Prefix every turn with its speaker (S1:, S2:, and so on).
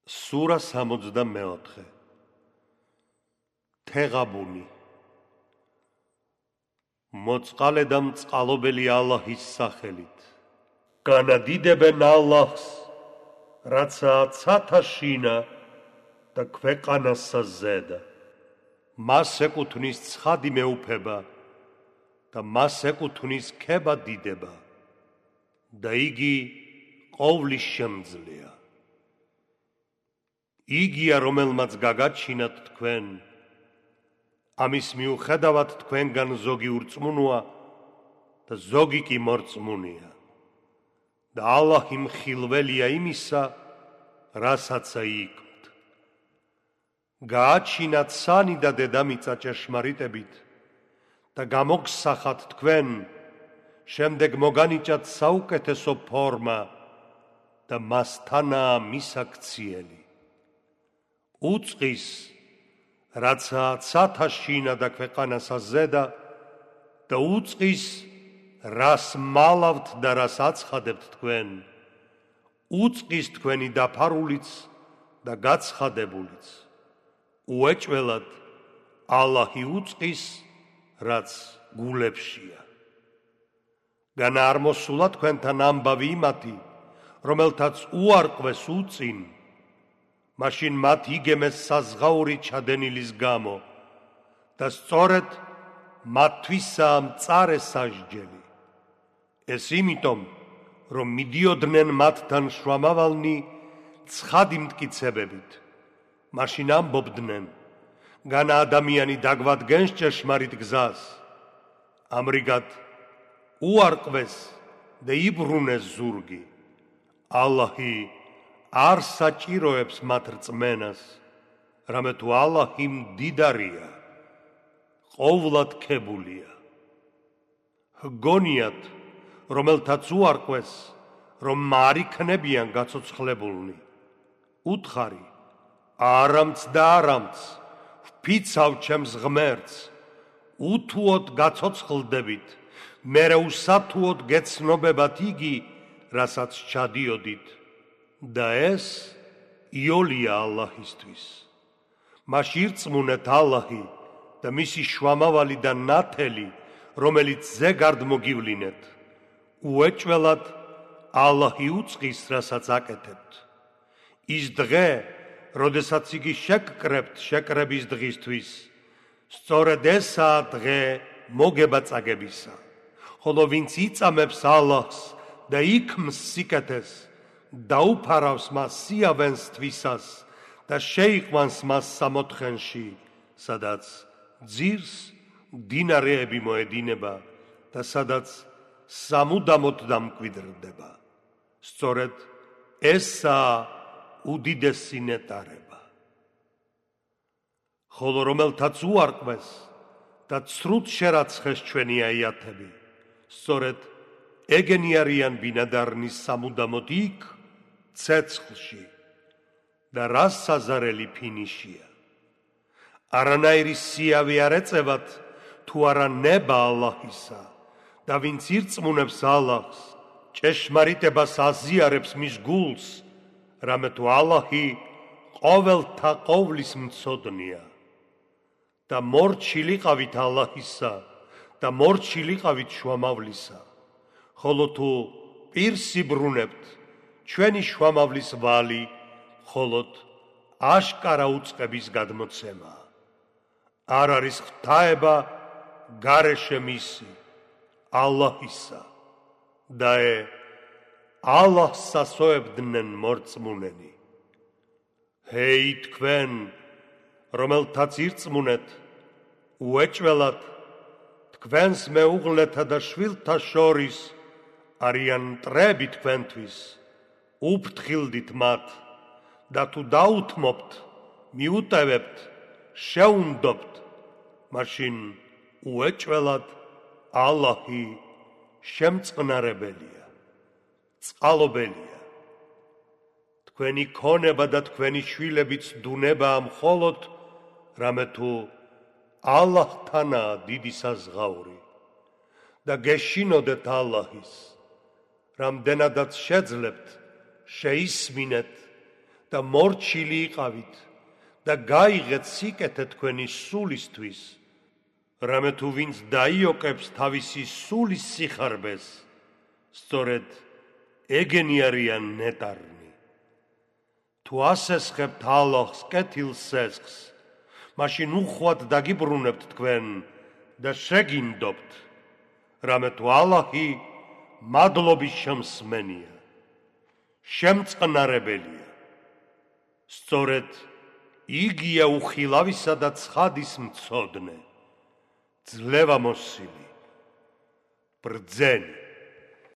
S1: სურა 64 თეღაბუნი მოწყალე და მწყალობელი ალაჰის სახელით განადიდებენ ალაჰს რაცა ცათაშინა და ქვეყანასა ზედა მას ეკუთვნის ცხადი მეუფება და მას ეკუთვნის ქება დიდება და იგი ყოვლის შემძლეა იგია რომელმაც გაგაჩინათ თქვენ ამის მიუხედავად თქვენგან ზოგი ურწმუნოა და ზოგი კი მორწმუნეა და ალაჰი მხილველია იმისა რასაც იკვლევთ გააჩინათ სანი და დედამიწა ჭეშმარიტებით და გამოგსახათ თქვენ შემდეგ მოგანიჭათ საუკეთესო ფორმა და მასთანაა მისაქციელი უწყის რაცა ცათაშინა და ქვეყანასა ზედა და უწყის რას მალავთ და რას აცხადებთ თქვენ უწყის თქვენი დაფარულიც და გაცხადებულიც უეჭველად ალაჰი უწყის რაც გულებშია განა არ მოსულა თქვენთან ამბავი იმათი რომელთაც უარყვეს უწინ მაშინ მათ იგემეს საზღაური ჩადენილის გამო და სწორედ მათთვისაა მწარე სასჯელი ეს იმიტომ რომ მიდიოდნენ მათთან შუამავალნი ცხადი მტკიცებებით მაშინ ამბობდნენ განა ადამიანი დაგვადგენს ჭეშმარიტ გზას ამრიგად უარყვეს და იბრუნეს ზურგი ალაჰი არ საჭიროებს მათ რწმენას რამე თუ ალაჰი მდიდარია ყოვლად ქებულია ჰგონიათ რომელთაც უარყვეს რომ არ იქნებიან გაცოცხლებულნი უთხარი არამც და არამც ვფიცავ ჩემს ღმერთს უთუოდ გაცოცხლდებით მერე უსათუოდ გეცნობებათ იგი რასაც ჩადიოდით და ეს იოლია ალაჰისთვის მას ირწმუნეთ ალაჰი და მისი შუამავალი და ნათელი რომელიც ზეგარდ მოგივლინეთ უეჭველად ალაჰი უწყის რასაც აკეთებთ ის დღე როდესაც იგი შეკრებთ შეკრების დღისთვის სწორედ ესაა დღე მოგება წაგებისა ხოლო ვინც იწამებს ალაჰს და იქმს სიკეთეს დაუფარავს მას სიავენს თვისას და შეიყვანს მას სამოთხენში სადაც ძირს მდინარეები მოედინება და სადაც სამუდამოდ დამკვიდრდება სწორედ ესაა უდიდესი ნეტარება ხოლო რომელთაც უარყვეს და ცრუთ შერაცხეს ჩვენი აიათები სწორედ ეგენი არიან ბინადარნის სამუდამოდ იქ ცეცხლში და რას საზარელი ფინიშია არანაირი სიავი არ ეწევათ თუ არა ნება ალაჰისა და ვინც ირწმუნებს ალაჰს ჭეშმარიტებას აზიარებს მის გულს რამე თუ ალაჰი ყოველთა ყოვლის მცოდნია და მორჩილიყავით ალაჰისა და მორჩილიყავით შუამავლისა ხოლო თუ პირს იბრუნებთ ჩვენი შუამავლის ვალი მხოლოდ აშკარა უწყების გადმოცემა არ არის ღვთაება გარეშე მისი ალაჰისა და ალაჰს ასოებდნენ მორწმუნენი ჰეი თქვენ რომელთაც ირწმუნეთ უეჭველად თქვენს მეუღლეთა და შვილთა შორის არიან მტრები თქვენთვის უფრთხილდით მათ და თუ დაუთმობთ მიუტევებთ შეუნდობთ მაშინ უეჭველად ალაჰი შემწყნარებელია წყალობელია თქვენი ქონება და თქვენი შვილებიც დუნებაა მხოლოდ რამე თუ ალაჰთანაა დიდი საზღაური და გეშინოდეთ ალაჰის რამდენადაც შეძლებთ შეისმინეთ და მორჩილი იყავით და გაიღეთ სიკეთე თქვენი სულისთვის, რამე თუ ვინც დაიოკებს თავისი სულის სიხარბეს, სწორედ ეგენი არიან ნეტარნი. თუ ასესხებთ ალოხს კეთილ სესხს, მაშინ უხვად დაგიბრუნებთ თქვენ და შეგინდობთ, რამე თუ ალაჰი მადლობის შემსმენია, შემწყნარებელია. სწორედ იგია უხილავისა და ცხადის მცოდნე, ძლევამოსილი, ბრძენი.